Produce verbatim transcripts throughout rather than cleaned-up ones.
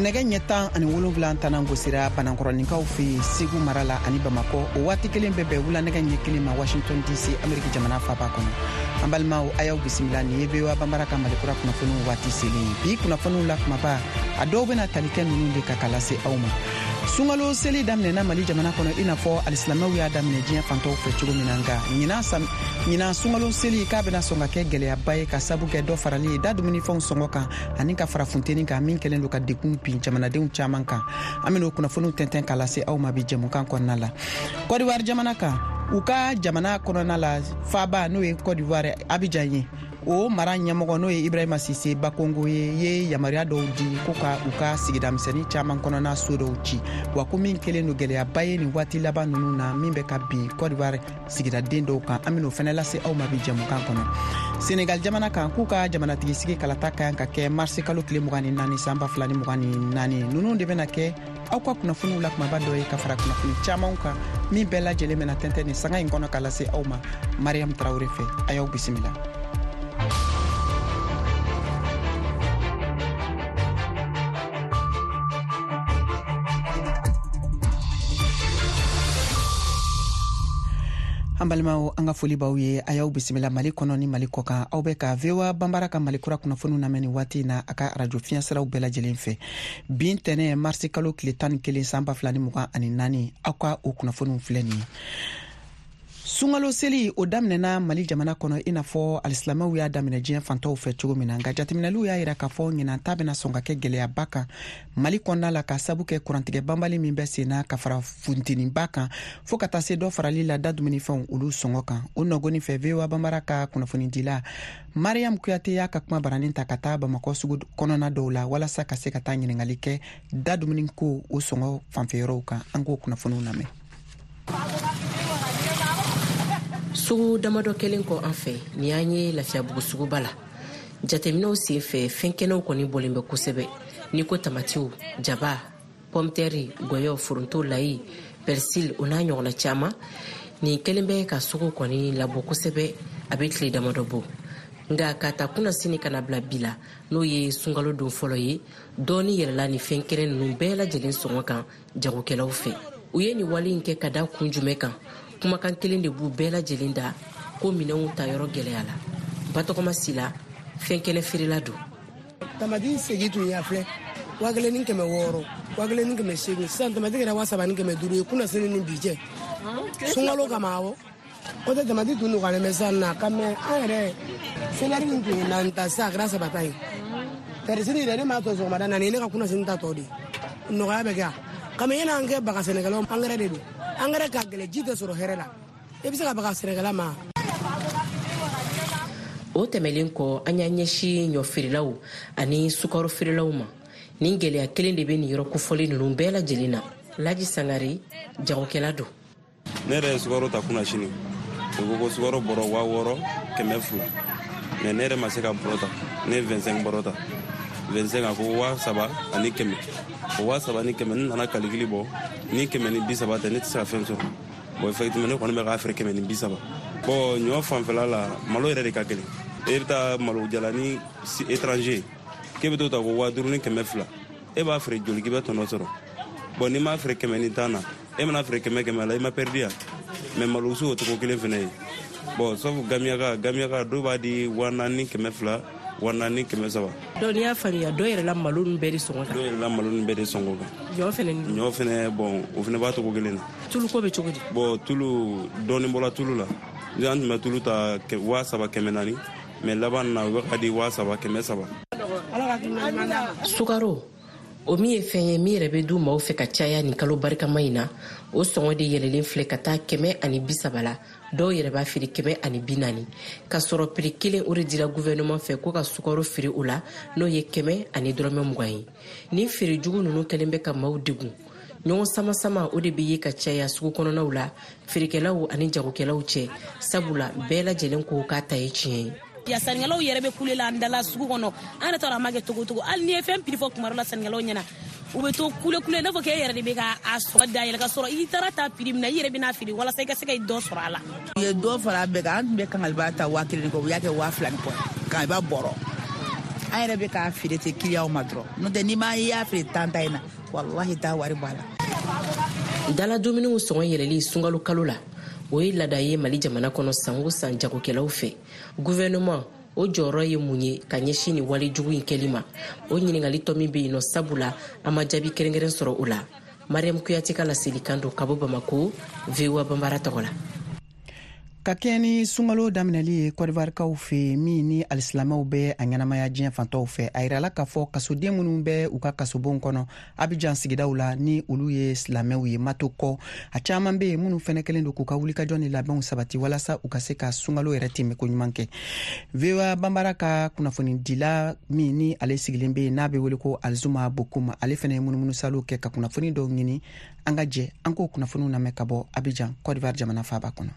Nɛgɛ ɲɛ tan ani wolonwula tanan gosira Banankɔrɔninkaw fɛ yen Segu mara la ani Bamakɔ. O waati kelen bɛ bɛn wula nɛgɛ ɲɛ kelen ma Washington D C, Ameriki jamana faba kɔnɔ. An balimaw, a y'aw bisimila. Nin ye V O A Banbara ka Malikura kunnafoniw waati selen ye. Bi kunnafoniw la kumaba, a dɔw bɛna tali kɛ ninnu de ka ka lase aw ma. Sunkalo seli daminɛna Mali jamana kɔnɔ, i n'a fɔ alisilamɛw y'a daminɛ diɲɛ fantɔw fɛ cogo min na. Nka ɲinan sunkalo seli k'a bɛna sɔn ka kɛ gɛlɛyaba ye, ka sabu kɛ dɔ farali ye da dumunifɛnw sɔngɔ kan ani ka fara funteni kan, min kɛlen don ka degun bin jamanadenw caman kan. An bɛn'o kunnafoniw tɛntɛn ka lase aw ma bi jɛmukan kɔnɔna la. Kɔdiwari jamana kan, u ka jamana kɔnɔna la, faaba n'o ye Kɔdiwari Abijan ye, o mara ɲɛmɔgɔ n'o ye Ibrahima Sise Bakongo ye, ye yamaruya dɔw di ko ka u ka sigida misɛnnin caman kɔnɔna so dɔw ci, wa ko min kɛlen don gɛlɛyaba ye nin waati laban ninnu na, min bɛ ka bin Kɔdiwari sigidaden dɔw kan. An ben'o fɛnɛ lase aw ma bi jɛmukan kɔnɔ. Senegal jamana kan, k'u ka jamanatigi sigi kalata ka kan ka kɛ marisi kalo tile mugan ni naani san ba fila ni mugan ni naani. Ninnu de bɛna kɛ aw ka kunnafoniw la kumaba dɔ ye, ka fara kunnafoni camanw kan, min bɛɛ lajɛlen bɛna tɛntɛn nin sanga in kɔnɔ ka lase aw ma Mariam Tarawure fɛ. A y'aw bisimila. An balimaw, an ka foli b'aw ye. A y'aw bisimila Mali kɔnɔ ni Mali kɔ kan. Aw bɛ ka V O A Banbara ka Mali kura kunnafoniw lamɛn nin waati na a ka arajo fiɲɛsiraw bɛɛ lajɛlen fɛ. Bi ntɛnɛ, marisi kalo tile tan ni kelen san ba fila ni mugan ani naani, aw ka o kunnafoniw filɛ nin ye. Sunkalo seli, o daminɛna Mali jamana kɔnɔ, i n'a fɔ alisilamɛw y'a daminɛ diɲɛ fantɔw fɛ cogo min na. Nka jateminɛliw y'a yira k'a fɔ ɲinan ta bɛna sɔn ka kɛ gɛlɛyaba kan Mali kɔnɔna la, ka sabu kɛ kurantigɛ banbali min bɛ sen na, ka fara funteniba kan, fɔɔ ka taa se dɔ farali la da dumunifɛnw olu sɔngɔ kan. O nɔgɔni fɛ, V O A Banbara ka kunnafonidila Mariam Kuyate y'a ka kuma baranin ta ka taa Bamakɔ sugu kɔnɔna dɔw la, walasa ka se ka taa ɲiningali kɛ da dumuni ko o sɔngɔ fanfɛyɔrɔw kan. An k'o kunnafoniw lamɛn. Sugu damadɔ kɛlen kɔ an fɛ, nin y'an ye Lafiyabugu suguba la. Jateminɛw sen fɛ, fɛn kɛnɛw kɔni bɔlen bɛ kosɛbɛ, n'i ko tamatiw, jaba, pɔmtɛri, gɔyɔ, foronto, layi, persil, o n'a ɲɔgɔnna caman. Nin kɛlen bɛ ka sugu kɔni labɔ kosɛbɛ a bɛ tile damadɔ bɔ. Nka ka ta kunnasini ka na bila bi la, n'o ye sunkalo don fɔlɔ ye, dɔɔni yɛlɛla nin fɛn kɛnɛ ninnu bɛɛ lajɛlen sɔngɔ kan jagokɛlaw fɛ. U ye nin wale in kɛ ka da kun jumɛn kan? Kumakan kelen de b'u bɛɛ lajɛlen da, ko minɛnw ta yɔrɔ gɛlɛya la. Batɔgɔma Sila, fɛn kɛnɛ feerela don. Tamati segi tun y'a filɛ waa kelen ni kɛmɛ wɔɔrɔ, waa kelen ni kɛmɛ seegin. Sisan tamati kɛra waa saba ni kɛmɛ duuru ye kunnasini ni bi cɛ, sunkalo kama. Awɔ, o tɛ tamati tun nɔgɔyalen bɛ sisan na ka mɛ an yɛrɛ selɛri min tun ye naani ta, sisan a kɛra saba ta ye. Persil yɛrɛ, ne m'a tɔ sɔgɔmada naani, ne ka kunnasini ta tɔ de nɔgɔya bɛ kɛ yan kami. Yan'an kɛ baga sɛnɛkɛlaw, angɛrɛ de don. Angɛrɛ ka gɛlɛ, ji tɛ sɔrɔ hɛrɛ la, i bɛ se ka baga sɛnɛkɛla ma. O tɛmɛlen kɔ, an y'an ɲɛsin ɲɔ feerelaw ani sukaro feerelaw ma. Nin gɛlɛya kelen de bɛ nin yɔrɔ kofɔlen ninnu bɛɛ lajɛlen na. Laji Sangare, jagokɛla don. Ne yɛrɛ ye sukaro ta kunnasini, u ko ko sukaro bɔrɔ waa wɔɔrɔ kɛmɛ fila, mais ne yɛrɛ ma se ka bɔrɔ ta. Ne ye vingt-cinq bɔrɔ ta, vingt-cinq, a ko waa saba ani kɛmɛ. O waa saba ni kɛmɛ, ne nana calcul bɔ, ni kɛmɛ ni bi saba tɛ, ne tɛ se ka fɛn sɔrɔ. Bon, effectivement, ne kɔni bɛ k'a feere kɛmɛ ni bi saba. Bon, ɲɔ fanfɛla la, malo yɛrɛ de ka gɛlɛn. E bɛ taa malo jalani étranger k'e bɛ t'o ta ko waa duuru ni kɛmɛ fila, e b'a feere joli k'i bɛ tɔnɔ sɔrɔ? Bon, n'i m'a feere kɛmɛ ni tan na, e mana feere kɛmɛ kɛmɛ la, i ma perdu yan. Mais malosu, o cogo kelen fɛnɛ ye. Bon, sauf gamiyaka, gamiyaka dɔw b'a di waa naani ni kɛmɛ fila, waa naani kɛmɛ saba. Donc n'i y'a faamuya, dɔ yɛrɛla malo ninnu bɛɛ de sɔngɔ kan. Dɔ yɛrɛla malo ninnu bɛɛ de sɔngɔ kan. Ɲɔ fɛnɛ ni? Ɲɔ fɛnɛ, bon, o fɛnɛ b'a togo kelen na. Tuluko bɛ cogo di? Bon, tulu, dɔɔni bɔra tulu la. An tun bɛ tulu ta waa saba kɛmɛ naani, mais laban na, u bɛ ka di waa saba kɛmɛ saba. Sukaro, o min ye fɛn ye min yɛrɛ bɛ du maaw fɛ ka caya nin kalo barikama in na, o sɔngɔ de yɛlɛlen filɛ ka taa kɛmɛ ani bi saba la. Dɔw yɛrɛ b'a feere kɛmɛ ani bi naani, k'a sɔrɔ prix kelen o de dira guvɛrɛnɛman fɛ ko ka sukaro feere o la, n'o ye kɛmɛ ani dɔrɔmɛ mugan ye. Nin feere jugu ninnu kɛlen bɛ ka maaw degun. Ɲɔgɔn sama-sama o de bɛ ye ka caya sugu kɔnɔnaw la, feerekɛlaw ani jagokɛlaw cɛ, sabula bɛɛ lajɛlen ko k'a ta ye tiɲɛ ye. Ya sannikɛlaw yɛrɛ bɛ kule la an dala sugu kɔnɔ. An yɛrɛ t'a dɔn a ma kɛ cogo cogo. Hali n'i ye fɛn prix fɔ kuma dɔ la sannikɛlaw ɲɛna, u bɛ to kule kule, n'a fɔ k'e yɛrɛ de bɛ ka a sɔngɔ dayɛlɛ, ka sɔrɔ i taara ta prix min na, i yɛrɛ bɛna feere walasa i ka se ka dɔ sɔrɔ a la. U ye dɔ fara a bɛɛ kan. An tun bɛ kangaliba ta waa kelen ni kɔ, u y'a kɛ waa fila ni kɔ, kangaliba bɔrɔ. An yɛrɛ bɛ k'a feere ten kiliyanw ma dɔrɔn, n'o tɛ n'i ma i y'a feere tan ta in na, walahi t'a wari bɔ a la. Dala dumuniw sɔngɔ yɛlɛli sunkalo kalo la, o ye laada ye Mali jamana kɔnɔ san o san jagokɛlaw fɛ. Gouvernement o jɔyɔrɔ ye mun ye ka ɲɛsin nin wale jugu in kɛli ma? O ɲininkali tɔ min bɛ yen nɔ, sabula an ma jaabi kɛrɛnkɛrɛn sɔrɔ o la. Mariam Kuyate ka laselikan don ka bɔ Bamako, V O A Banbara tɔgɔ la. Ka kɛɲɛ ni sunkalo daminɛli ye Kɔdiwarikaw fɛ, min ni alisilamɛw bɛ a ɲɛnamaya diɲɛ fantɔw fɛ, a yirala k'a fɔ kasoden minnu bɛ u ka kasobonw kɔnɔ Abidjan sigidaw la, ni olu ye silamɛw ye, mato kɔ, a caman bɛ yen minnu fɛnɛ kɛlen don k'u ka wulikajɔ ni labɛnw sabati walasa u ka se ka sunkalo yɛrɛ tɛmɛ ko ɲuman kɛ. V O A Banbara ka kunnafonidila min ni ale sigilen bɛ yen n'a bɛ wele ko Alzuma Bokum, ale fɛnɛ ye munumunusalo kɛ ka kunnafoni dɔw ɲini. An ka jɛ an k'o kunnafoniw lamɛn ka bɔ Abidjan, Côte d'Ivoire jamana faaba kɔnɔ.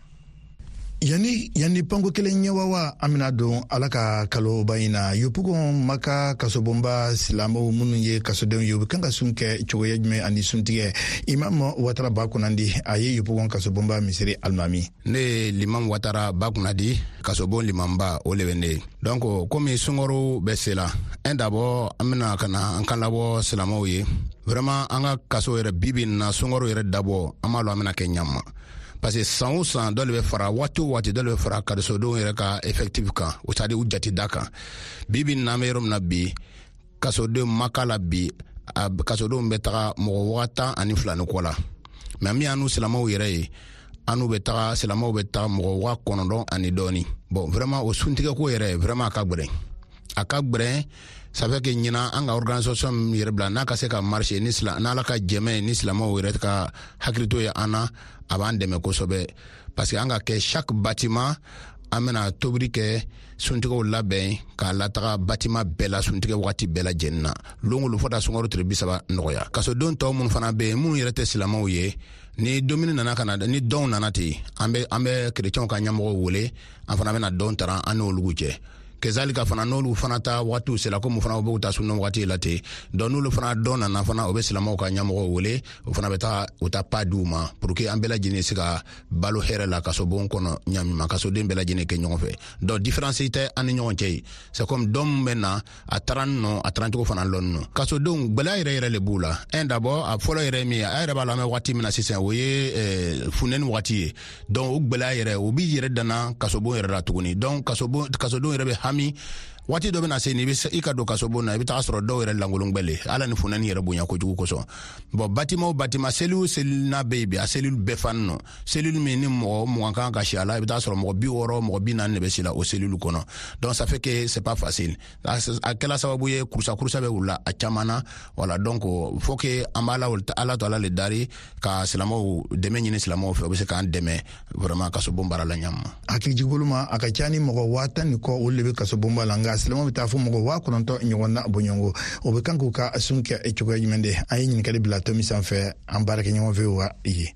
Yani yani panko kelen ɲɛwawa an bɛna don Ala ka kaloba in na. Yopougon Maka kasobonba silamɛw minnu ye kasodenw ye, u bɛ kan ka sun kɛ cogoya jumɛn ani suntigɛ? Imam Watara Bakunandi, a ye Yopougon kasobonba misiri alimami. Ne ye Limam Watara Bakunandi, kasobon limamba, o le bɛ ne ye. Donc komi sunkaro bɛ se la, un d'abord an bɛna ka na an kan labɔ silamɛw ye. Vraiment an ka kaso yɛrɛ bi bi in na, sunkaro yɛrɛ dabɔ, an b'a lɔn an bɛna kɛ ɲama. Parce que san o san dɔ de bɛ fara, waati o waati dɔ de bɛ fara kasodenw yɛrɛ ka effectif kan, o c'est à dire u jate da kan. Bi bi in na, an bɛ yɔrɔ min na bi, kasodenw Maka la bi, a kasodenw bɛ taga mɔgɔ waa tan ani fila ni kɔ la. Mais min y'an n'u silamɛw yɛrɛ ye, an n'u bɛ taga, silamɛw bɛ taga mɔgɔ waa kɔnɔntɔn ani dɔɔni. Bon, vraiment o suntigɛko yɛrɛ, vraiment a ka gwɛrɛn, a ka gwɛrɛn. Ça fait que ɲinan an ka organisation min yɛrɛ bila n'a ka se ka marcher, ni sila n'Ala ka jɛmɛ ni silamɛw yɛrɛ ka hakilito ye an na, a b'an dɛmɛ kosɛbɛ. Parce que an ka kɛ chaque bâtiment, an bɛna tobili kɛ, suntigɛw labɛn k'a lataga bâtiment bɛɛ la suntigɛ wagati bɛɛ lajɛlen na, lon o lon fo taa sunkalo tile bi saba nɔgɔya. Kasoden tɔw minnu fana bɛ yen, minnu yɛrɛ tɛ silamɛw ye, ni dumuni nana ka na, ni dɔnw nana ten, an bɛ an bɛ kerecɛnw ka ɲɛmɔgɔw wele, an fana bɛna dɔn tara an n'olu cɛ. Kezalika fana, n'olu fana ta waatiw sera, komi fana u b'u ta sunna waati la ten, donc n'olu fana dɔn nana fana, o bɛ silamɛw ka ɲɛmɔgɔw wele, o fana bɛ taga u ta pa d'u ma pour que an bɛɛ lajɛlen se ka balo hɛrɛ la kasobon kɔnɔ ɲamima, kasoden bɛɛ lajɛlen kɛ ɲɔgɔn fɛ. Donc différence tɛ an ni ɲɔgɔn cɛ ye. C'est comme dɔn min bɛ na, a taara nɔ, a taara cogo fana lɔn nɔ. Kasodenw gwɛlɛya yɛrɛ yɛrɛ le b'u la. Un d'abord, a fɔlɔ yɛrɛ min ye, a yɛrɛ b'a la, an bɛ waati min na sisan, o ye funteni waati ye. Donc o gwɛlɛya yɛrɛ, o b'i yɛrɛ danna kasobon yɛrɛ la tuguni. Donc kasobon kasodenw yɛrɛ bɛ hami. Waati dɔ bɛna se ni i ka don kasobon na, i bɛ taga sɔrɔ dɔw yɛrɛ lankolon gbɛle, ala ni funteni yɛrɛ bonya kojugu kosɔn. Bon, bâtiment o bâtiment, cellule o cellule n'a bɛ yen bi, a cellule bɛɛ fani nɔ. Cellule min ni mɔgɔ mugan kan ka si a la, i bɛ taa sɔrɔ mɔgɔ bi wɔɔrɔ, mɔgɔ bi naani de bɛ si la o cellule kɔnɔ. Donc ça fait que c'est pas facile. A kɛla sababu ye kurusa kurusa bɛ wula a caman na. Voilà, donc faut que an b'a la Ala to Ala le dari ka silamɛw dɛmɛ ɲini silamɛw fɛ, u bɛ se k'an dɛmɛ vraiment kasobon baara la ɲama. Hakilijigibolo ma, a ka ca ni mɔgɔ waa tan ni kɔ, olu de bɛ kasobonba la, nka silamɛw bɛ taa fo mɔgɔ waa kɔnɔntɔn ɲɔgɔn na bɔɲɔgɔnko. O bɛ kan k'u ka sun kɛ cogoya jumɛn de? An ye ɲininkali bila tomi sanfɛ an baarakɛɲɔgɔn fɛ wa ye.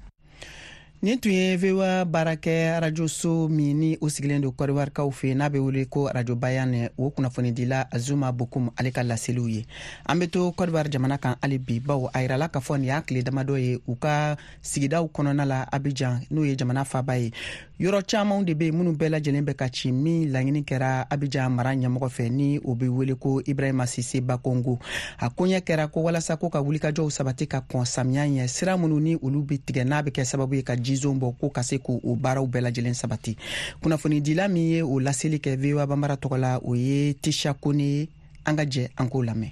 Nin tun ye V O A baarakɛ arajoso min ni o sigilen don Kɔdiwarikaw fɛ, n'a bɛ wele ko Arajo Bayan, o kunnafonidila Azuma Bokum, ale ka laseliw ye. An bɛ to Kɔdiwari jamana kan hali bi, bawo a yirala k'a fɔ nin y'a tile damadɔ ye, u ka sigidaw kɔnɔna la Abidjan, n'o ye jamana faaba ye, yɔrɔ camanw de bɛ yen minnu bɛɛ lajɛlen bɛ ka ci, min laɲini kɛra Abidjan mara ɲɛmɔgɔ fɛ, ni o bɛ wele ko Ibrahima Sise Bakongo. A koɲɛ kɛra ko walasa ko ka wulikajɔw sabati ka kɔn samiya ɲɛ, sira minnu ni olu bɛ tigɛ n'a bɛ kɛ sababu ye ka jizon bɔ, ko ka se k'o baaraw bɛɛ lajɛlen sabati. Kunnafonidila min ye o laseli kɛ V O A Banbara tɔgɔ la, o ye Tisha Kone ye. An ka jɛ an k'o lamɛn.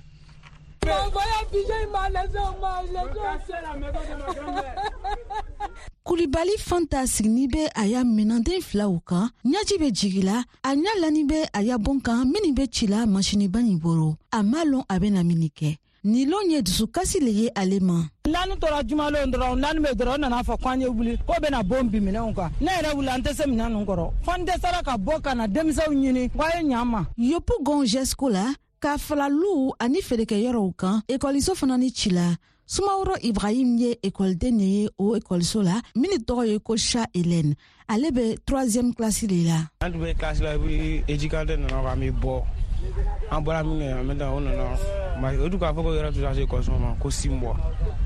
Kulibali Fanta sigini bɛ a ya minanden filaw kan, ɲaji bɛ jigila, a ɲa lani bɛ a ya bon kan minnu bɛ ci la masiniba nin bolo. A ma lɔn a bɛna min kɛ. Nin lon ye dusukasi le ye ale ma. Naani tora jumalon dɔrɔn, naani bɛ dɔrɔn, nana fɔ k'an ye wuli k'o bɛna bon bin minɛnw kan. Ne yɛrɛ wuli, an tɛ se minɛn ninnu kɔrɔ. Fo n dɛsɛra ka bɔ ka na denmisɛnw ɲini k'a ye ɲa n ma. Yopougon Gesco la, ka fala luw ani feerekɛyɔrɔw kan, ekɔliso fana ni ci la. Sumaworo Ibrahim ye ekɔliden de ye o ekɔliso la min tɔgɔ ye ko Cha Hélène. Ale bɛ troisième classe de la. An tun bɛ classe la, éducateur nana k'an bɛ bɔ. An bɔra min kɛ, an bɛ taa, o nana o dun k'a fɔ ko yɔrɔ tɛ se ekɔliso ma ko six mois.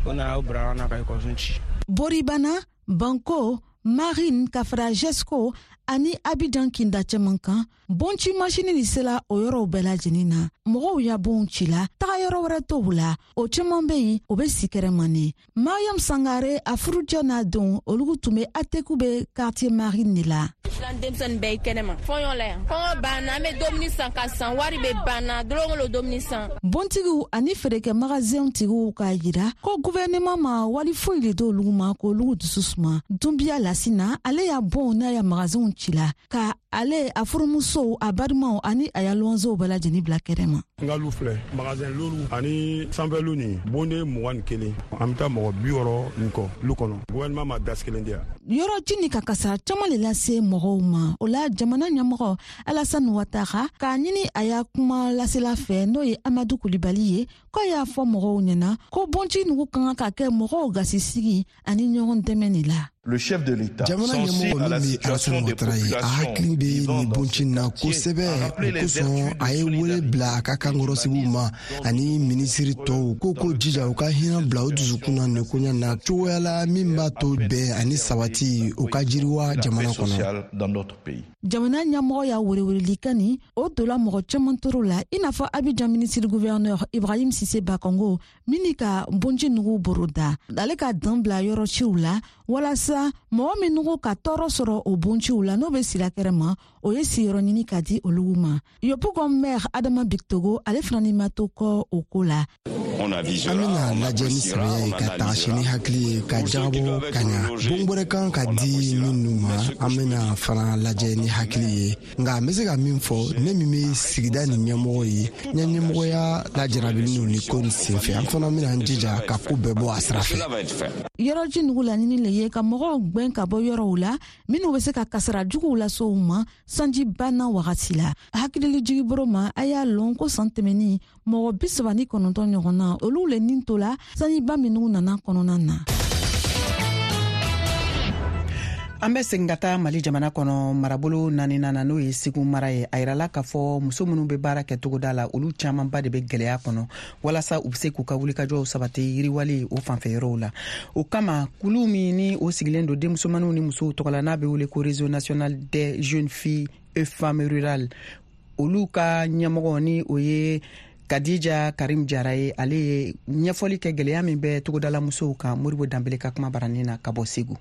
O nana o bila an na ka ekɔliso ci. Boribana, Banko, Marine ka fara Gesco ani Abidjan kinda cɛman kan, bonci masini ni sela o yɔrɔw bɛɛ lajɛlen na. Mɔgɔw ya bonw cila, taga yɔrɔ wɛrɛ t'o la, o caman bɛ yen, o bɛ si kɛrɛmani. Mariam Sangare a furucɛ n'a denw, olu tun bɛ Attécoubé quartier Marine de la. An denmisɛnnin bɛɛ ye kɛnɛma fɔɲɔ la yan, kɔngɔ banna, an bɛ dumuni san ka san, wari bɛ banna dɔrɔn o dumuni san. Bontigiw ani feerekɛ magasinw tigiw k'a jira ko gouvernement ma wali foyi le d'olu ma k'olu dusu suma. Dunbiya Lasina, ale y'a bonw n'a ya magasinw cila ka ale a furumusow, a balimaw ani a ya luwanzew bɛɛ lajɛlen bila kɛnɛma. N ka lu filɛ, magasin lolu ani sanfɛlu nin bonde mugan ni kelen, an bɛ taa mɔgɔ bi wɔɔrɔ nin kɔ lu kɔnɔ. Gouvernement ma dasi kelen di yan. Yɔrɔ ji ni ka kasara caman le lase mɔgɔw ma. O la jamana ɲɛmɔgɔ Alassane Ouattara k'a ɲini a y'a kuma lasela fɛ, n'o ye Amadu Kulibali ye, k'a y'a fɔ mɔgɔw ɲɛna ko bonci nugu ka kan ka kɛ mɔgɔw gasisigi ani ɲɔgɔn dɛmɛ de la. Le chef de l'État, jamana ɲɛmɔgɔ min bɛ Alassane Ouattara ye, a hakili bɛ nin bonci na kosɛbɛ. O kosɔn a ye wele bila a ka kankɔrɔsigiw ma ani minisiri tɔw ko ko jija u ka hinɛ bila u dusukun na nin koɲɛ na cogoya la min b'a to bɛn ani sabati u ka jiriwa jamana kɔnɔ. Jamana ɲɛmɔgɔ y'a welewelelikan nin, o donna mɔgɔ caman toro la, i n'a fɔ Abidjan ministre gouverneur Ibrahim Sise Bakongo min ka bonci nugu boroda. Ale ka dan bila yɔrɔ ciw la walasa mɔgɔ minnu ka tɔɔrɔ sɔrɔ o bonciw la, n'o bɛ sira kɛrɛ ma, o ye siyɔrɔ ɲini ka di olu ma. Yopougon maire Adama Bictogo, ale fana ni ma to kɔ o ko la. An bɛna lajɛ ni sɛbɛya ye ka tagasi ni hakili ye ka jagabɔ ka ɲa. Bon wɛrɛ kan ka di minnu ma, an bɛna fana lajɛ ni hakili ye. Nka n bɛ se ka min fɔ, ne min bɛ sigida nin ɲɛmɔgɔ ye, n ye ɲɛmɔgɔya lajarabili n'u ni ko nin senfɛ, an fana bɛna an jija ka ko bɛɛ bɔ a sira fɛ. Yɔrɔji nugu laɲini le ye ka mɔgɔw gwɛn ka bɔ yɔrɔw la minnu bɛ se ka kasara juguw lase u ma sanji banna wagati la. Hakilili jigiboro ma, a y'a lɔn ko san tɛmɛnin mɔgɔ bi saba ni kɔnɔntɔn ɲɔgɔn na, olu le nin to la sanjiba minnu nana kɔnɔna na. An bɛ segin ka taa Mali jamana kɔnɔ, marabolo naaninan na, n'o ye Segu mara ye. A yirala k'a fɔ muso minnu bɛ baara kɛ togoda la, olu camanba de bɛ gɛlɛya kɔnɔ walasa u bɛ se k'u ka wulikajɔw sabati yiriwali o fanfɛ yɔrɔw la. O kama kulu min ni o sigilen don denmusomaninw ni musow tɔgɔ la, n'a bɛ wele ko Réseau national des jeunes filles et femmes rurales, olu ka ɲɛmɔgɔ ni o ye Kadija Karim Jara ye, ale ye ɲɛfɔli kɛ gɛlɛya min bɛ togodala musow kan. Moribo Danbele ka kuma baranin na ka bɔ Segu.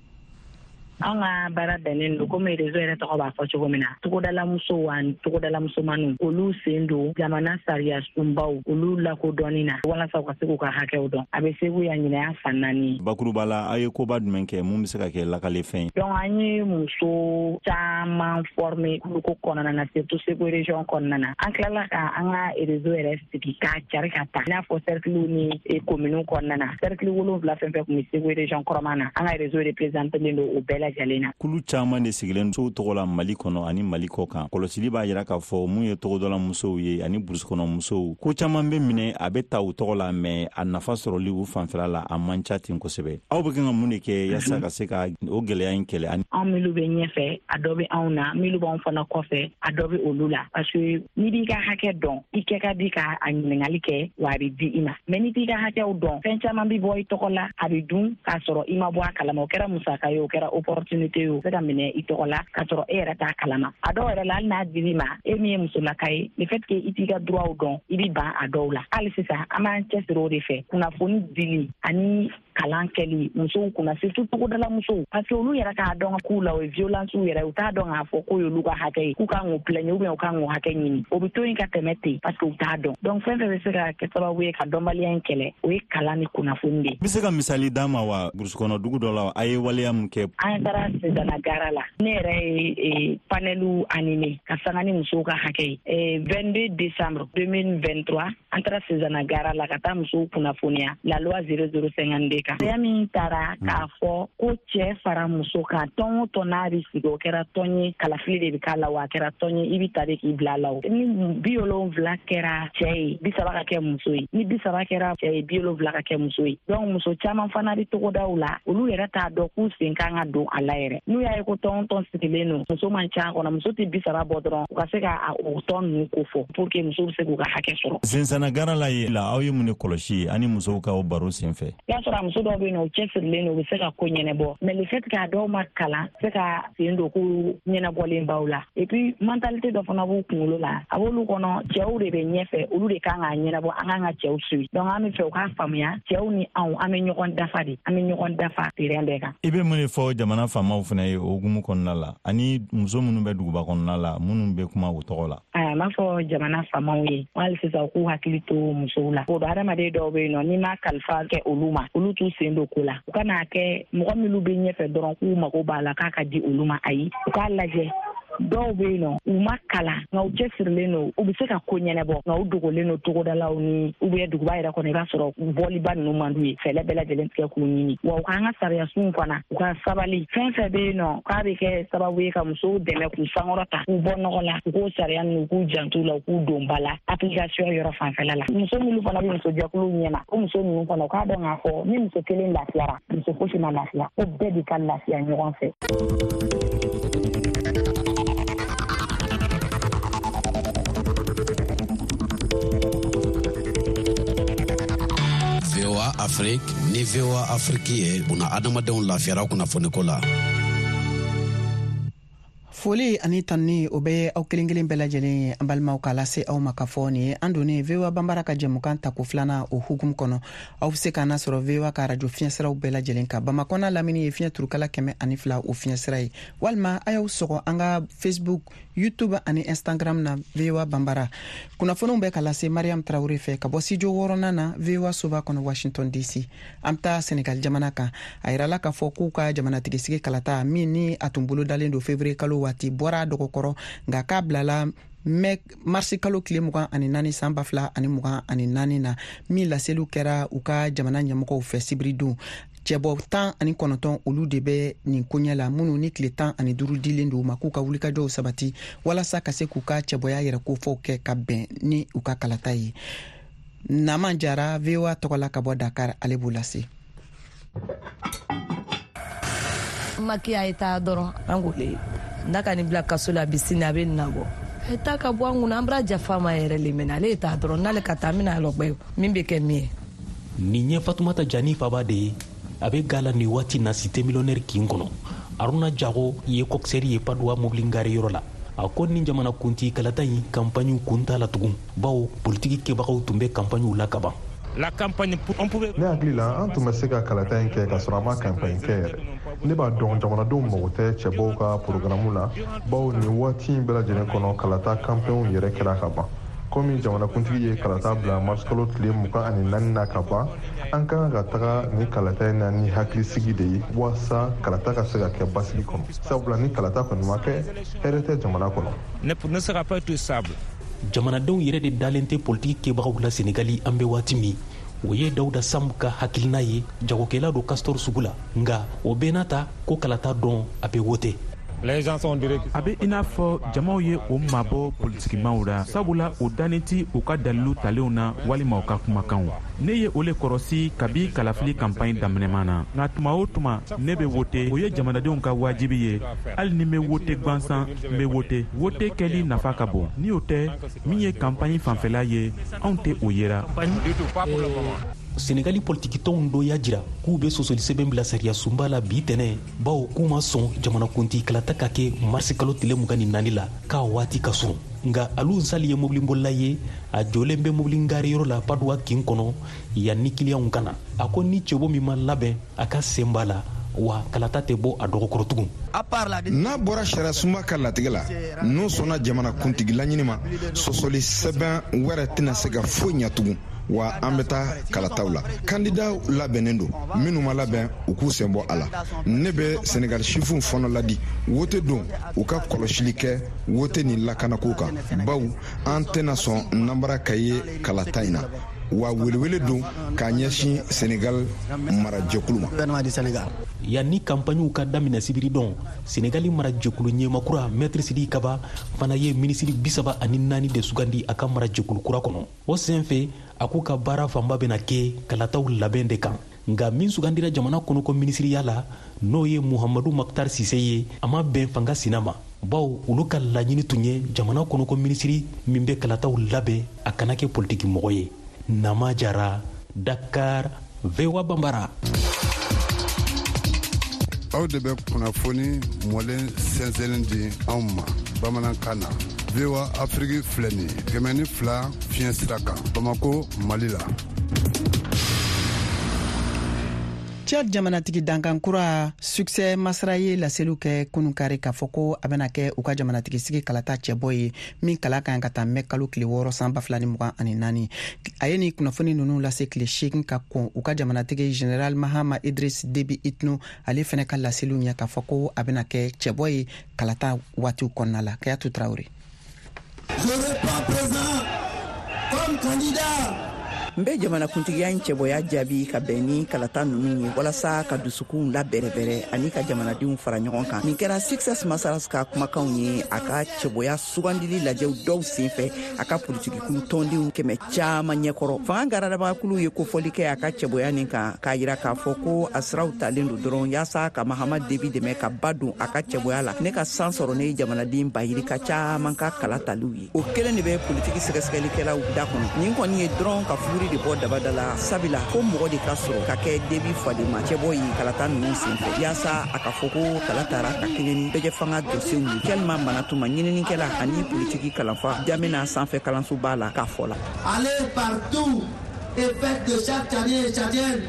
An ka baara bɛnnen don komi réseau yɛrɛ tɔgɔ b'a fɔ cogo min na, togodala musow ani togodala musomaninw, olu sen don jamana sariya sunbaw olu lakodɔnni na walasa u ka se k'u ka hakɛw dɔn. A bɛ Segu yan ɲinɛya fan naani ye. Bakuruba la, a ye koba jumɛn kɛ mun bɛ se ka kɛ lakalefɛn ye? Donc an ye muso caman former kuluko kɔnɔna na, surtout Segu région kɔnɔna na. An tilala ka an ka réseau yɛrɛ sigi k'a cari ka taa i n'a fɔ cercle ni commune kɔnɔna na. Cercle wolonwula fɛn fɛn tun bɛ Segu région kɔrɔma na, an ka réseau représenté don o bɛɛ. Kulu caman de sigilen musow tɔgɔ la Mali kɔnɔ ani Mali kɔ kan. Kɔlɔsili b'a jira k'a fɔ mun ye togodala musow ye ani burusi kɔnɔ musow, ko caman bɛ minɛ a bɛ ta u tɔgɔ la, mɛ a nafa sɔrɔli u fanfɛla la a man ca ten kosɛbɛ. Aw bɛ kan ka mun de kɛ yaasa ka se ka o gɛlɛya in kɛlɛ? Anw minnu bɛ ɲɛfɛ, a dɔ bɛ anw na, minnu b'anw fana kɔfɛ, a dɔ bɛ olu la. Parce que n'i b'i ka hakɛ dɔn, i kɛ ka di ka a ɲininkali kɛ, wa a bɛ di i ma. Mɛ n'i t'i ka hakɛw dɔn, fɛn caman bɛ bɔ i tɔgɔ la, a bɛ dun k'a sɔrɔ i ma bɔ a kalama. O kɛra musaka ye, o kɛra opportunité ye, o se ka minɛ i tɔgɔ la k'a sɔrɔ e yɛrɛ t'a kalama. A dɔw yɛrɛ la, hali n'a dir'i ma, e min ye musolaka ye, le fait que i t'i ka droit dɔn, i bɛ ban a dɔw la. Hali sisan an b'an cɛsiri o de fɛ, kunnafoni dili ani kalan kɛli musow kunna, surtout togodala musow, parce que olu yɛrɛ k'a dɔn k'u la o ye violence yɛrɛ, u t'a dɔn k'a fɔ k'o y'olu ka hakɛ ye, k'u kan k'o plaigner ou bien u kan k'o hakɛ ɲini. O bɛ to yen ka tɛmɛ ten parce que u t'a dɔn. Donc fɛn fɛn bɛ se ka kɛ sababu ye ka dɔnbaliya in kɛlɛ, o ye kalan ni kunnafoni de ye. I bɛ se ka misali d'an ma wa, burusi kɔnɔ dugu dɔ la, a ye waleya mun kɛ? An taara Sezana gara la, ne yɛrɛ ye panelu animé ka sanga ni musow ka hakɛ ye. vingt-deux décembre deux mille vingt-trois, an taara Sezana gara la ka taa musow kunnafoniya la loi zéro zéro cinquante-deux kan. Sariya min taara k'a fɔ ko cɛ fara muso kan, tɔn o tɔn n'a bɛ sigi, o kɛra tɔn ye, kalafili de bɛ k'a la, wa a kɛra tɔn ye i bɛ ta de k'i bila a la. O ni bi wolonwula kɛra cɛ ye, bi saba ka kɛ muso ye, ni bi saba kɛra cɛ ye, bi wolonwula ka kɛ muso ye. Donc muso caman fana bɛ togodaw la, olu yɛrɛ t'a dɔn k'u sen kan ka don a la yɛrɛ. N'u y'a ye ko tɔn tɔn sigilen don, muso man ca kɔnɔ, muso tɛ bi saba bɔ dɔrɔn, u ka se ka o tɔn ninnu ko fɔ pour que muso bɛ se k'u ka hakɛ sɔrɔ. Sensana gara la ye la, aw ye mun de kɔlɔsi ani musow ka o baro senfɛ? I y'a sɔrɔ a muso Muso dɔw bɛ yen nɔ, u cɛsirilen don, u bɛ se ka ko ɲɛnabɔ, mais le fait que a dɔw ma kalan, se ka sen don ko ɲɛnabɔlen baw la. Et puis mentalité dɔ fana b'u kunkolo la, a b'olu kɔnɔ cɛw de bɛ ɲɛfɛ, olu de kan k'a ɲɛnabɔ, an kan ka cɛw suit. Donc an bɛ fɛ u k'a faamuya, cɛw ni anw, an bɛ ɲɔgɔn dafa de, an bɛ ɲɔgɔn dafa terrain bɛɛ kan. I bɛ mun de fɔ jamana faamaw fana ye o hukumu kɔnɔna la, ani muso minnu bɛ duguba kɔnɔna la, minnu bɛ kuma u tɔgɔ la? Ayiwa, n b'a fɔ jamana faamaw ye hali sisan u k'u hakili to musow la. O don hadamaden dɔw bɛ yen nɔ, n'i ma kalifa kɛ olu ma, olu t'u sen don ko la. U kana kɛ mɔgɔ minnu bɛ ɲɛfɛ dɔrɔn k'u mago b'a la k'a ka di olu ma, ayi, u k'a lajɛ. Dɔw bɛ yen nɔ, u ma kalan, nka u cɛsirilen don, u bɛ se ka ko ɲɛnabɔ, nka u dogolen don togodalaw ni ou bien duguba yɛrɛ kɔnɔ, i b'a sɔrɔ bɔliba ninnu man d'u ye, fɛɛrɛ bɛɛ lajɛlen tigɛ k'u ɲini. Wa u k'an ka sariyasunw fana, u ka sabali, fɛn fɛn bɛ yen nɔ k'a bɛ kɛ sababu ye ka musow dɛmɛ k'u sankɔrɔta, k'u bɔ nɔgɔ la, u k'o sariya ninnu, u k'u janto la, u k'u don ba la application yɔrɔ fanfɛla la. Muso minnu fana bɛ musojɛkuluw ɲɛma, o muso ninnu fana, u k'a dɔn k'a fɔ ni muso kelen lafiyara, muso fosi ma lafiya, ko bɛɛ de ka lafiya ɲɔgɔn fɛ. V O A Afrique ni V O A Afrique ye buna adamadenw lafiyara kunnafoniko la. Foli ani tanni o bɛ aw kelen kelen bɛɛ lajɛlen ye, an balimaw, k'a lase aw ma k'a fɔ nin ye an donnen V O A Banbara ka jɛmukan tako filanan o hukumu kɔnɔ. Aw bɛ se k'an nasɔrɔ V O A ka arajo fiɲɛsiraw bɛɛ lajɛlen kan. Bamakɔ n'a lamini ye fiɲɛ turukala kɛmɛ ani fila o fiɲɛsira ye, walima a y'aw sɔgɔ an ka Facebook, YouTube ani Instagram na V O A Banbara. Kunnafoniw bɛ ka lase Mariam Traoré fɛ ka bɔ studio wɔɔrɔnan na V O A soba kɔnɔ Washington D C. An bɛ taa Senegal jamana kan. A yirala k'a fɔ k'u ka jamanatigisigi kalata min ni a tun bolodalen don février kalo waati bɔra a dɔgɔkɔrɔ, nka k'a bilala mɛ marisi kalo tile mugan ani naani san ba fila ani mugan ani naani na, min laseliw kɛra u ka jamana ɲɛmɔgɔw fɛ sibiridon. Cɛbɔ tan ani kɔnɔntɔn olu de bɛ nin koɲɛ la, minnu ni tile tan ani duuru dilen don u ma k'u ka wulikajɔw sabati walasa ka se k'u ka cɛbɔya yɛrɛ kofɔw kɛ ka bɛn ni u ka kalata ye. Naman Jara, V O A tɔgɔ la ka bɔ Dakar, ale b'o lase. Macky a ye taa dɔrɔn, an k'o le n'a ka nin bila kaso la, bi sini a bɛ nin nabɔ. A ye taa ka bɔ an kunna, an bɔra jafa ma yɛrɛ le mɛnɛ, ale ye taa dɔrɔn, n'ale ka taa, an bɛna lɔgbɛ min bɛ kɛ min ye. Nin ye Fatumata Jani Faba de ye, a bɛ ga la nin waati na cité millionnaire kin kɔnɔ. Aruna Jago ye coxeur ye Padoua mobili gare yɔrɔ la. A ko ni jamana kuntigi kalata in campagne kun t'a la tugun, bawo politiki kɛbagaw tun bɛ campagne la kaban. La campagne, on pouvait... Ne hakili la, an tun bɛ se ka kalata in kɛ ka sɔrɔ an ma campagne kɛ yɛrɛ. Ne b'a dɔn jamanadenw mago tɛ cɛbɔw ka programme la, bawo nin waati in bɛɛ lajɛlen kɔnɔ kalata campagne yɛrɛ kɛra ka ban. Komi jamanakuntigi ye kalata bila mars kalo tile mugan ani naani na ka ban, an ka kan ka taga ni kalata in na ni hakilisigi de ye, walasa kalata ka se ka kɛ basigi kɔnɔ. Sabula ni kalata kɔni ma kɛ, hɛrɛ tɛ jamana kɔnɔ. Ne sera pas tout sable. Jamanadenw yɛrɛ de dalen tɛ politiki kɛbagaw la Senegali an bɛ waati min. O ye Dawuda Samb ka hakilina ye, jagokɛla don Castor sugu la, nka o bɛɛ n'a ta ko kalata dɔn a bɛ wote. A bɛ i n'a fɔ jamaw ye o mabɔ politikimaw la, sabula o dannen ti u ka dalilu talenw na walima u ka kumakanw. Ne ye o le kɔrɔsi kabi kalafili kanpaɲi daminɛman na, nka tuma o tuma ne bɛ wote, o ye jamanadenw ka wajibi ye. Hali ni n bɛ wote gansan, n bɛ wote. Wote kɛli nafa ka bon, ni o tɛ min ye kanpaɲi fanfɛla ye, anw tɛ o yera. Senegali politikitɔnw dɔ y'a jira k'u bɛ sɔsɔli sɛbɛn bila sariya sunba la bi tɛnɛ, bawo k'u ma sɔn jamanakuntigi kalata ka kɛ marisi kalo tile mugan ni naani la k'a waati ka surun. Nka Alu Nsali ye mobilibolila ye, a jɔlen bɛ mobili gare yɔrɔ la Padoua kin kɔnɔ yanni kiliyanw ka na. A ko ni cɛbɔ min ma labɛn a ka sen b'a la, wa kalata tɛ bɔ a dɔgɔkɔrɔ tugun. N'a bɔra sariya sunba ka latigɛ la, n'o sɔnna jamanakuntigi laɲini ma, sɔsɔli sɛbɛn wɛrɛ tɛna se ka foyi ɲɛ tugun. Wa an bɛ taa kalataw la, kandidaw labɛnnen don, minnu ma labɛn u k'u sen bɔ a la. Ne bɛ Senegal sifinw fana ladi wote don u ka kɔlɔsili kɛ wote ni lakanako kan, bawo an tɛna sɔn nanbara ka ye kalata in na. Wa welewele don k'a ɲɛsin Senegal marajɛkulu ma. Yanni kanpaɲiw ka daminɛ sibiridon, Senegali marajɛkulu ɲɛmakura Maître Sidiki Kaba fana ye minisiri bisaba ani naani de sugandi a ka marajɛkulu kura kɔnɔ. O senfɛ, a k'u ka baara fanba bɛna kɛ kalataw labɛn de kan. Nka min sugandira jamana kɔnɔko minisiriya la, n'o ye Muhamadu Makhtar Cissé ye, a ma bɛn fanga sina ma, bawo olu ka laɲini tun ye jamana kɔnɔko minisiri min bɛ kalataw labɛn a kana kɛ politiki mɔgɔ ye. Nama Jara, Dakar, V O A Bambara. Aw de bɛ kunnafoni mɔlen sɛnsɛnlen di anw ma bamanankan na. V O A Afrique filɛ nin ye kɛmɛ ni fila fiɲɛ sira kan Bamako, Mali la. Tchad jamanatigi dankan kura Succès Masra ye laseliw kɛ kunun kari k'a fɔ ko a bɛna kɛ u ka jamanatigi sigi kalata cɛbɔ ye min kala kan ka taa mɛ kalo tile wɔɔrɔ san ba fila ni mugan ani naani. A ye nin kunnafoni ninnu lase tile seegin ka kɔn u ka jamanatigi Général Mahama Idriss Déby Itno ale fɛnɛ ka laseliw ɲɛ k'a fɔ ko a bɛna kɛ cɛbɔ ye kalata waatiw kɔnɔna la. Kayatu Traoré. Je réponds présent comme candidat. N bɛ jamanakuntigiya in cɛbɔya jaabi ka bɛn ni kalata ninnu ye walasa ka dusukunw labɛrɛbɛrɛ ani ka jamanadenw fara ɲɔgɔn kan. Nin kɛra Succès Masra ka kumakanw ye a ka cɛbɔya sugandili lajɛw dɔw senfɛ a ka politikikulu tɔndenw kɛmɛ caman ɲɛkɔrɔ. Fanga garadabagakulu ye kofɔli kɛ a ka cɛbɔya nin kan k'a yira k'a fɔ ko a siraw talen don dɔrɔn yaasa ka Mahama Déby dɛmɛ ka ba don a ka cɛbɔya la ne ka san sɔrɔ ne ye jamanaden bayirika caman ka kala taliw ye. O kelen de bɛ politiki sɛgɛsɛgɛlikɛlaw da kɔnɔ. Nin kɔni ye dɔrɔn ka fuguri de bɔ dabada la sabila ko mɔgɔ de ka sɔrɔ ka kɛ Déby fadenma cɛbɔ ye kalata ninnu senfɛ yaasa a ka fɔ ko kala tara ka kɛɲɛ ni bɛjɛfanga dosenw ye. Kɛlima Manatuma ɲininikɛla ani politiki kalanfa Jamina sanfɛ kalansoba la k'a fɔ la. Allez partout et faites de chaque Tchadien et Tchadienne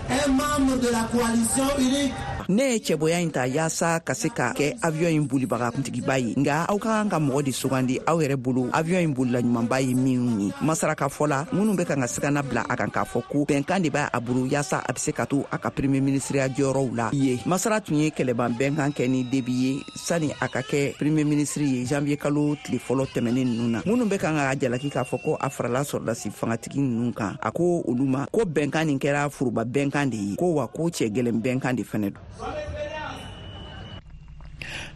un membre de la coalition unique. Ne ye cɛbɔya in ta yaasa ka se ka kɛ avion in bolibaga kuntigiba ye, nka aw ka kan ka mɔgɔ de sugandi aw yɛrɛ bolo avion in bolila ɲumanba ye minnu ye. Masara ka fɔ la minnu bɛ kan ka sigana bila a kan k'a fɔ ko bɛnkan de b'a a bolo yaasa a bɛ se ka to a ka premier ministre jɔyɔrɔw la ye. Masara tun ye kɛlɛban bɛnkan kɛ ni Déby ye sani a ka kɛ premier ministre ye janvier kalo tile fɔlɔ tɛmɛnen ninnu na. Minnu bɛ kan ka jalaki k'a fɔ ko a farala sɔrɔdasi fangatigi ninnu kan, a ko olu ma ko bɛnkan nin kɛra foroba bɛnkan de ye, ko wa ko cɛ gɛlɛn bɛnkan de fɛnɛ don.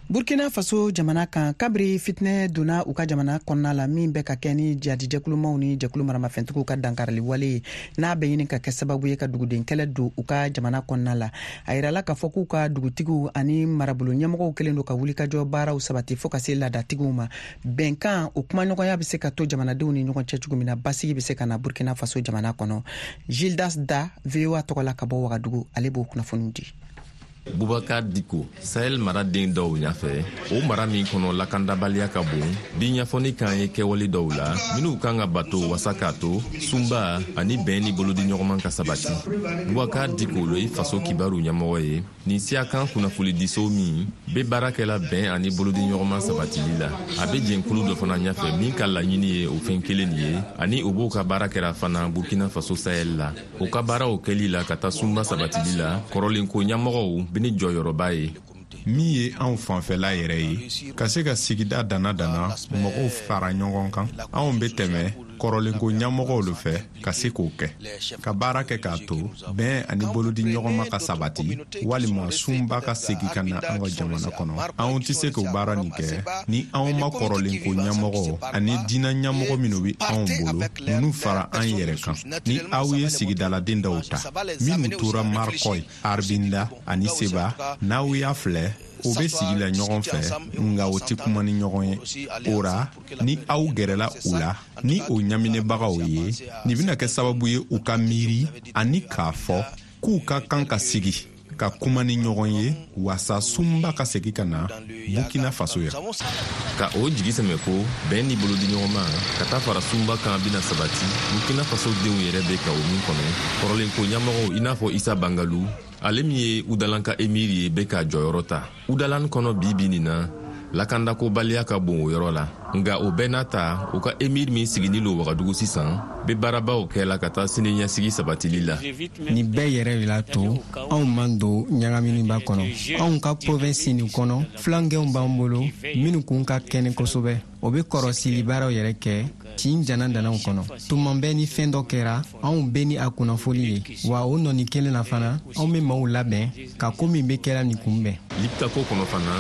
Burkina Faso jamana kan, kabiri fitinɛ donna u ka jamana kɔnɔna la min bɛ ka kɛ ni jihadijɛkulumaw ni jɛkulu maramafɛntigiw ka dankarili wale ye n'a bɛ ɲini ka kɛ sababu ye ka duguden kɛlɛ don u ka jamana kɔnɔna la. A yirala k'a fɔ k'u ka dugutigiw ani marabolo ɲɛmɔgɔw kɛlen don ka wulikajɔ baaraw sabati fo ka se laadatigiw ma. Bɛnkan o kumaɲɔgɔnya bɛ se ka to jamanadenw ni ɲɔgɔn cɛ cogo min na basigi bɛ se ka na Burkina Faso jamana kɔnɔ. Gildas Da V O A tɔgɔ la ka bɔ Wagadugu, ale b'o kunnafoniw di. Bubakar Diko, Sahel mara den dɔw ɲafɛ, o mara min kɔnɔ lakandabaliya ka bon, bi ɲɛfɔni kan ye kɛwale dɔw la, minw kan ka bato wasa k'a to, sunba ani bɛn ni bolodiɲɔgɔnman ka sabati. Bubakar Diko lo ye faso kibaru ɲɛmɔgɔ ye, nin siyakan kunnafonidiso min be baara kɛla bɛn ani bolodiɲɔgɔnman sabatili la. A be jɛnkulu dɔ fana ɲafɛ min ka laɲini ye o fɛn kelen nin ye, ani o b'o ka baara kɛra fana Burkina Faso Sahel la. O ka baaraw kɛli la ka taa sunba sabatili la, kɔrɔlenko ɲɛmɔgɔw ni jɔyɔrɔba ye. Min ye anw fanfɛla yɛrɛ ye, ka se ka sigida dana dana mɔgɔw fara ɲɔgɔn kan, anw bɛ tɛmɛ kɔrɔlenko ɲɛmɔgɔw lo fɛ ka se k'o kɛ, ka baara kɛ k'a to bɛn ani bolodiɲɔgɔnma ka sabati walima sunba ka segin ka na an ka jamana kɔnɔ. Anw tɛ se k'o baara nin kɛ ni anw ma kɔrɔlenko ɲɛmɔgɔ ani diinɛ ɲɛmɔgɔ minnu bɛ anw bolo ninnu fara an yɛrɛ kan. Ni aw ye sigidaladen dɔw ta minnu tora Markɔy, Arbinda ani Seba, n'aw y'a filɛ o bɛ sigi la ɲɔgɔn fɛ, nka o tɛ kuma ni ɲɔgɔn ye. O ra, ni aw gɛrɛla u la ni o ɲaminɛbagaw ye, nin bɛna kɛ sababu ye u ka miiri ani k'a fɔ k'u ka kan ka sigi ka kuma ni ɲɔgɔn ye wasa sunba ka segin ka na Burkina Faso yan. Ka o jigi sɛmɛ ko bɛn ni bolodiɲɔgɔnma ka taa fara sunba kan bɛna sabati Burkina Faso denw yɛrɛ bɛ ka o min kɔnɔ. Kɔrɔlenko ɲɛmɔgɔw i n'a fɔ Isa Bangalu, ale min ye Udalan ka emiri ye, bɛ ka jɔyɔrɔ ta Udalan kɔnɔ bi bi nin na. Lakandakobaliya ka bon o yɔrɔ la, nka o bɛɛ n'a ta, u ka emir min siginin lo Wagadugu sisan bɛ baarabaw kɛla ka taa sini ɲɛsigi sabatili la. Nin bɛɛ yɛrɛ de la to anw man don ɲagaminiba kɔnɔ. Anw ka province nin kɔnɔ, filankɛw b'an bolo minnu kun ka kɛnɛ kosɛbɛ. O bɛ kɔrɔsili baaraw yɛrɛ kɛ tin jana danaw kɔnɔ. Tuma bɛɛ ni fɛn dɔ kɛra, anw bɛ ni a kunnafoli ye, wa o nɔni kelen na fana, anw bɛ maaw labɛn ka ko min bɛ kɛra nin kunbɛn. Liptako kɔnɔ fana,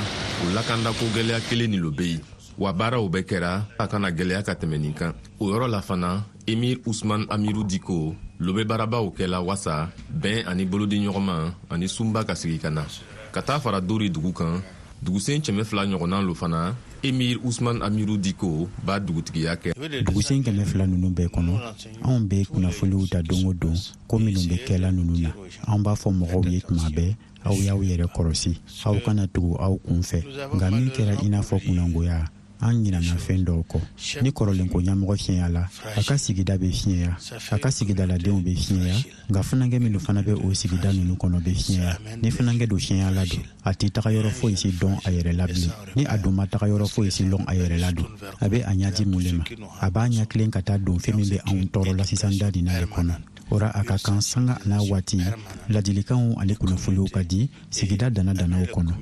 o lakandako gɛlɛya kelen nin lo bɛ yen, wa baaraw bɛɛ kɛra a kana gɛlɛya ka tɛmɛ nin kan. O yɔrɔ la fana, Emir Usman Amiru Diko lo bɛ baarabaw kɛla wasa bɛn ani bolodiɲɔgɔnma ani sunba ka sigi ka na ka taa fara Dori dugu kan. Dugusen kɛmɛ fila ɲɔgɔnna lo fana, Emir Usman Amiru Diko b'a dugutigiya kɛ. Dugusen kɛmɛ fila ninnu bɛɛ kɔnɔ, anw bɛ kunnafoniw ta don o don ko minnu bɛ kɛla ninnu na. An b'a fɔ mɔgɔw ye tuma bɛɛ, aw y'aw yɛrɛ kɔlɔsi, aw kana tugu aw kun fɛ. Nka min kɛra i n'a fɔ kunnangoya, an ɲinana fɛn dɔw kɔ. Ni kɔrɔlenko ɲɛmɔgɔ fiɲɛyala, a ka sigida bɛ fiɲɛya, a ka sigidaladenw bɛ fiɲɛya, nka funankɛ minnu fana bɛ o sigida ninnu kɔnɔ bɛ fiɲɛya. Ni funankɛ don fiɲɛyala don, a tɛ taga yɔrɔ foyi si dɔn a yɛrɛ la bilen. Ni a dun ma taga yɔrɔ foyi si lɔn a yɛrɛ la don, a bɛ a ɲɛji mun le ma? A b'a ɲɛ tilen ka taa don fɛn min bɛ anw tɔɔrɔ la sisan da nin na de kɔnɔ. O ra a ka kan sanga n'a waati, ladilikanw ani kunnafoniw ka di sigida dana danaw kɔnɔ.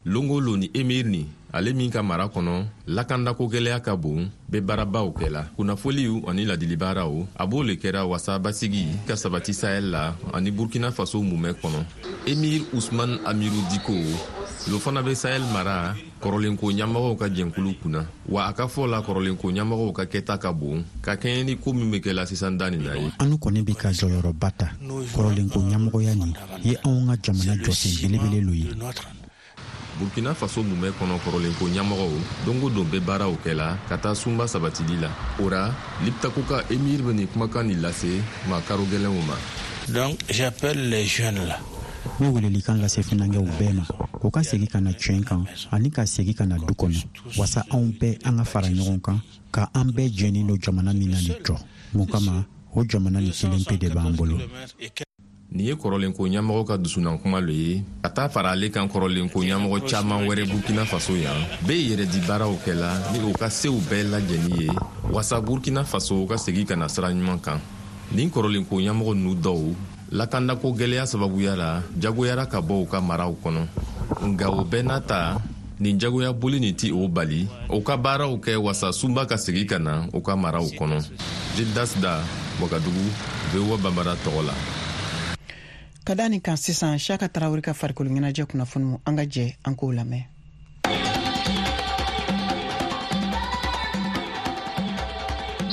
Longo lo ni Emir ni ale min ka mara kɔnɔ lakandako gɛlɛya ka bon, bɛ baarabaw kɛla, kunnafoliw ani ladilibaaraw a b'o le kɛra wasa basigi ka sabati Sahel la ani Burkina Faso mumɛ kɔnɔ. Emir Usman Amiru Diko lo fana bɛ Sahel mara kɔrɔlenko ɲɛmɔgɔw ka jɛnkulu kunna, wa a ka fɔ la kɔrɔlenko ɲɛmɔgɔw ka kɛta ka bon ka kɛɲɛ ni ko min bɛ kɛla sisan da nin na ye. Anu kɔni bɛ ka jɔyɔrɔba ta kɔrɔlenko ɲɛmɔgɔya nin ye anw ka jamana jɔsen belebele lo ye. Burkina Faso mumɛ kɔnɔ kɔrɔlenko ɲɛmɔgɔw don o don bɛ baaraw kɛla ka taa sunba sabatili la. O ra Liptako ka Emir bɛ nin kumakan nin lase maa karo gɛlɛnw ma. Donc j'appelle les jeunes là. N bɛ welelikan lase funankɛw bɛɛ ma, u ka segin ka na tiɲɛ kan ani ka segin ka na du kɔnɔ, wasa anw bɛɛ an ka fara ɲɔgɔn kan ka an bɛɛ jɛnnen don jamana min na nin jɔ. Mun kama o jamana nin kelen pe de b'an bolo. Nin ye kɔrɔlenko ɲɛmɔgɔ ka dusunankuma lo ye ka taa fara ale kan kɔrɔlenko ɲɛmɔgɔ caman wɛrɛ Burkina Faso yan bɛɛ yɛrɛ di baaraw kɛla ni u ka sew bɛɛ lajɛni ye wasa Burkina Faso ka segin ka na sira ɲuman kan. Nin kɔrɔlenko ɲɛmɔgɔ ninnu dɔw lakandako gɛlɛya sababuya la jagoyara ka bɔ u ka maraw kɔnɔ, nka o bɛɛ n'a ta nin jagoya boli nin ti o bali u ka baaraw kɛ wasa sunba ka segin ka na u ka maraw kɔnɔ. Gildas Da, Wagadugu, V O A Bambara tɔgɔ la. Ka da nin kan sisan, Siyaka Tarawele ka farikolo ɲɛnajɛ kunnafoniw, an ka jɛ an k'o lamɛn.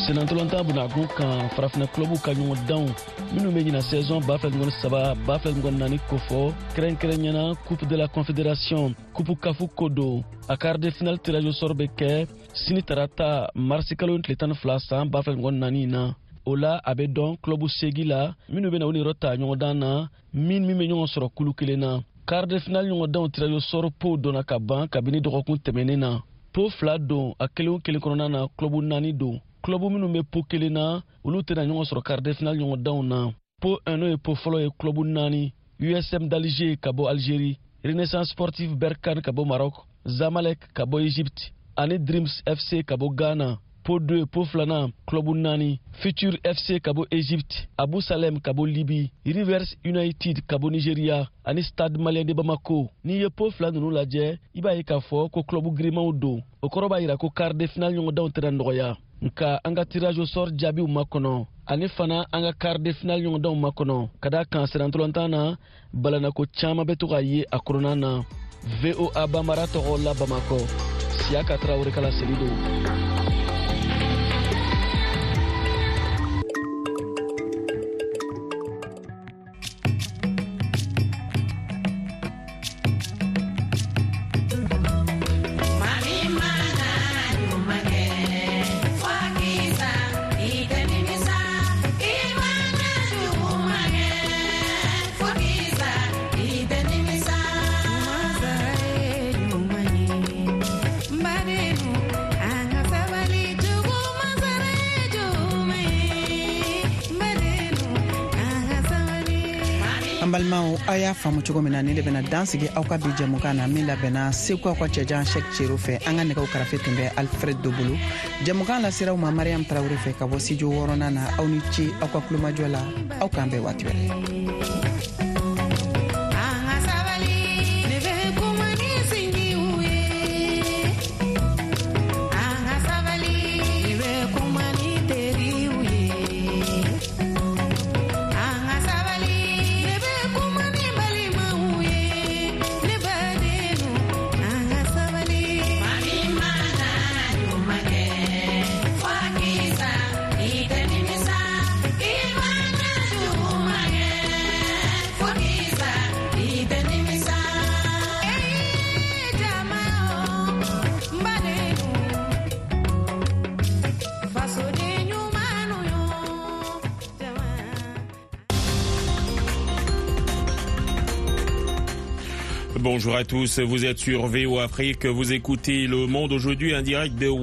Senatɔlɔntan bunakun kan farafinna kulɔbuw ka ɲɔgɔndanw minnu bɛ ɲina saison ba fila mugan ni saba ba fila mugan ni naani kofɔ, kɛrɛnkɛrɛnyana Coupe de la Confédération, Coupe Kafu ko don. A quart de finale tirage au sort bɛ kɛ sini tarata marisi kalo tile tan ni fila san ba fila mugan ni naani na. O la a bɛ dɔn kulɔbu seegin la minnu bɛ na u niyɔrɔ ta ɲɔgɔndan na, min min bɛ ɲɔgɔn sɔrɔ kulu kelen na. Quart de finale ɲɔgɔndanw tirage au sort pow donna ka ban kabini dɔgɔkun tɛmɛnen na. Po fila don, a kelen o kelen kɔnɔna na kulɔbu naani don. Kulɔbu minnu bɛ po kelen na, olu tɛna ɲɔgɔn sɔrɔ quart de finale ɲɔgɔndanw na. Po un n'o ye po fɔlɔ ye, kulɔbu naani: U S M d'Alger ka bɔ Algérie, Renaissance Sportive Berkane ka bɔ Maroc, Zamalek ka bɔ Égypte ani Dreams F C ka bɔ Ghana. Po deux, po filanan, kulɔbu naani: Future F C ka bɔ Égypte, Abu Salem ka bɔ Libye, Rivers United ka bɔ Nigeria ani Stade Malien de Bamako. N'i ye po fila ninnu lajɛ, i b'a ye k'a fɔ ko kulɔbu girimanw don. O kɔrɔ b'a jira ko quart de finale ɲɔgɔndanw tɛna nɔgɔya. Nka an ka tirage au sort jaabiw makɔnɔ, ani fana an ka quart de finale ɲɔgɔndanw makɔnɔ, ka d'a kan sennantolatan na balanako caman bɛ to ka ye a kɔnɔna na. V O A Bambara tɔgɔ la Bamakɔ, Siyaka Tarawele ka laseli don. Balimaw, aw y'a faamu cogo min na, ne de bɛna dan sigi aw ka bi jɛmukan na min labɛnna Segu aw ka cɛjan Sɛk Cero fɛ. An ka nɛgɛw karafe tun bɛ Alfred Do bolo. Jɛmukan lasera aw ma Mariam Tarawele fɛ ka bɔ studio wɔɔrɔnan na. Aw ni ce aw ka kulomajɔ la, aw k'an bɛn waati wɛrɛ. Yeah. Bonjour à tous, vous êtes sur V O A Afrique, vous écoutez Le Monde aujourd'hui en direct de Washington.